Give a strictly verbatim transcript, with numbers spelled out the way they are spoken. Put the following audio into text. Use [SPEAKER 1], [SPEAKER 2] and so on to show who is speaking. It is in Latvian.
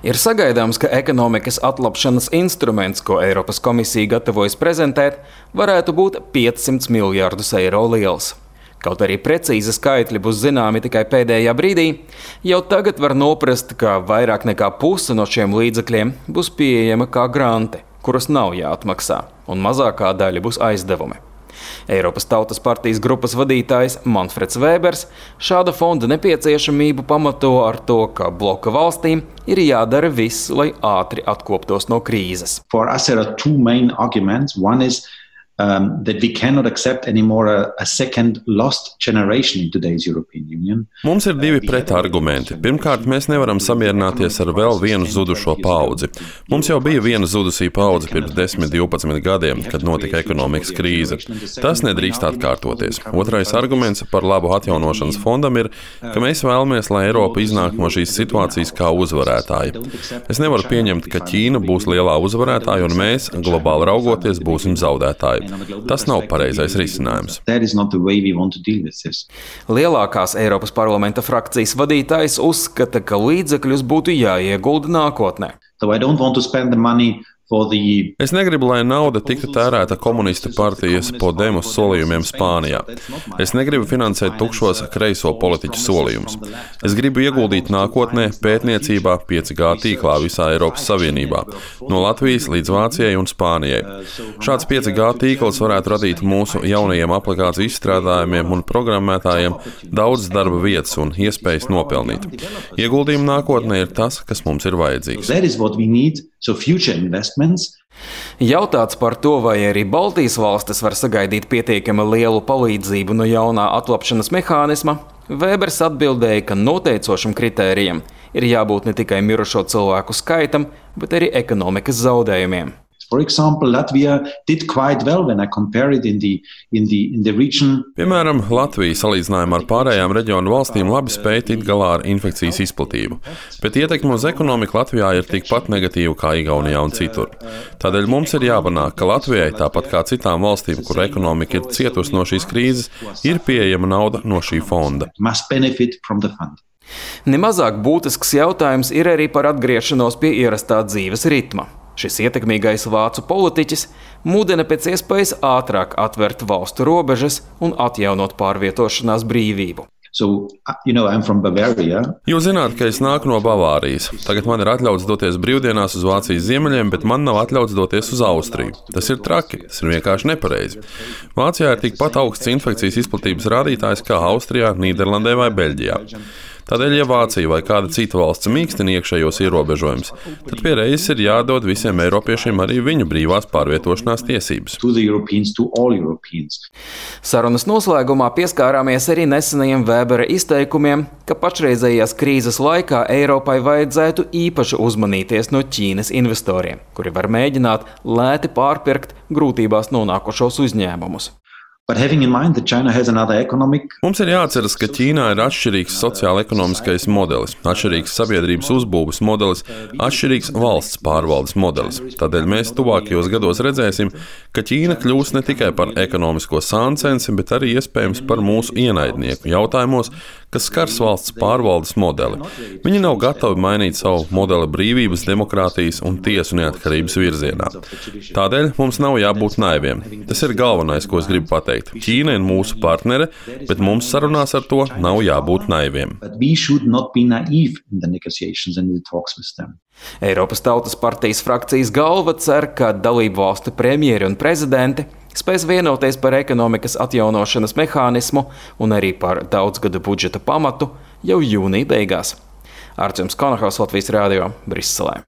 [SPEAKER 1] Ir sagaidāms, ka ekonomikas atlapšanas instruments, ko Eiropas komisija gatavojas prezentēt, varētu būt piecsimt miljardus eiro liels. Kaut arī precīzi skaitļi būs zināmi tikai pēdējā brīdī, jau tagad var noprast, ka vairāk nekā puse no šiem līdzekļiem būs pieejama kā granti, kurus nav jāatmaksā, un mazākā daļa būs aizdevumi. Eiropas Tautas partijas grupas vadītājs Manfreds Vēbers šāda fonda nepieciešamību pamato ar to, ka bloka valstīm ir jādara viss, lai ātri atkoptos no krīzes.
[SPEAKER 2] For us there are two main arguments. One is Um, that we cannot accept anymore a, a second lost generation in today's European Union.
[SPEAKER 3] Mums ir divi pretargumenti. Pirmkārt, mēs nevaram samierināties ar vēl vienu zudušo paudzi. Mums jau bija viena zudusī paudze pirms desmit, divpadsmit gadiem, kad notika ekonomikas krīze. Tas nedrīkst atkārtoties. Otrais arguments par labu atjaunošanas fondam ir, ka mēs vēlamies, lai Eiropa iznāk no šīs situācijas kā uzvarētāji. Es nevaru pieņemt, ka Ķīna būs lielā uzvarētāja un mēs, globāli raugoties, būsim zaudētāji. Tas nav pareizais risinājums.
[SPEAKER 1] Lielākās Eiropas parlamenta frakcijas vadītājs uzskata, ka līdzekļus būtu jāiegulda nākotnē.
[SPEAKER 3] Es negribu, lai nauda tiktu tērēta komunistu partijas Podemos solījumiem Spānijā. Es negribu finansēt tukšos kreiso politiķu solījumus. Es gribu ieguldīt nākotnē pētniecībā pieci G tīklā visā Eiropas Savienībā, no Latvijas līdz Vācijai un Spānijai. Šāds pieci G tīkls varētu radīt mūsu jaunajiem aplikāciju izstrādājumiem un programmētājiem daudz darba vietas un iespējas nopelnīt. Ieguldījumi nākotnē ir tas, kas mums ir vajadzīgs.
[SPEAKER 1] Jautāts par to, vai arī Baltijas valstis var sagaidīt pietiekami lielu palīdzību no jaunā atlapšanas mehānisma, Vēbers atbildēja, ka noteicošam kritērijam ir jābūt ne tikai mirušo cilvēku skaitam, bet arī ekonomikas zaudējumiem.
[SPEAKER 2] For example, Latvia did quite well when I compare it in the, in the, in the region.
[SPEAKER 3] Piemēram, Latvija salīdzinājumā ar pārējām reģionu valstīm labi spēj tikt galā ar infekcijas izplatību, bet ietekme uz ekonomiku Latvijā ir tikpat negatīva kā Igaunijā un citur. Tādēļ mums ir jāpanāk, ka Latvijai, tāpat kā citām valstīm, kur ekonomika ir cietusi no šīs krīzes, ir pieejama nauda no šī fonda.
[SPEAKER 1] Nemazāk būtisks jautājums ir arī par atgriešanos pie ierastā dzīves ritma. Šis ietekmīgais vācu politiķis mudina pēc iespējas ātrāk atvērt valstu robežas un atjaunot pārvietošanās brīvību.
[SPEAKER 2] So, you know, I'm from Bavaria.
[SPEAKER 3] Jūs zināt, ka es nāku no Bavārijas. Tagad man ir atļauts doties brīvdienās uz Vācijas ziemeļiem, bet man nav atļauts doties uz Austriju. Tas ir traki, tas ir vienkārši nepareizi. Vācijā ir tikpat augsts infekcijas izplatības rādītājs kā Austrijā, Nīderlandē vai Beļģijā. Tādēļ, ja Vācija vai kāda cita valsts mīkstina iekšējos ierobežojumus, tad pie reizes ir jādod visiem eiropiešiem arī viņu brīvās pārvietošanās tiesības.
[SPEAKER 1] Sarunas noslēgumā pieskārāmies arī nesenajiem Vēbera izteikumiem, ka pašreizējās krīzes laikā Eiropai vajadzētu īpaši uzmanīties no Ķīnas investoriem, kuri var mēģināt lēti pārpirkt grūtībās nonākušos uzņēmumus.
[SPEAKER 2] Economic...
[SPEAKER 3] Mums ir jāatceras, ka Ķīnā ir atšķirīgs sociāla-ekonomiskais modelis, atšķirīgs sabiedrības uzbūves modelis, atšķirīgs valsts pārvaldes modelis. Tādēļ mēs tuvākajos gados redzēsim, ka Ķīna kļūs ne tikai par ekonomisko sāncensi, bet arī iespējams par mūsu ienaidnieku jautājumos, kas skars valsts pārvaldes modeli. Viņi nav gatavi mainīt savu modeli brīvības, demokrātijas un tiesu neatkarības virzienā. Tādēļ mums nav jābūt naiviem. Tas ir galvenais, ko es gribu pateikt. Ķīna ir mūsu partnere, bet mums sarunās ar to nav jābūt naiviem.
[SPEAKER 1] Eiropas Tautas partijas frakcijas galva cer, ka dalību valstu premjeri un prezidenti spēs vienoties par ekonomikas atjaunošanas mehānismu un arī par daudzgadu budžeta pamatu jau jūnija beigās. Artjums Konahaus, Latvijas radio, Briselē.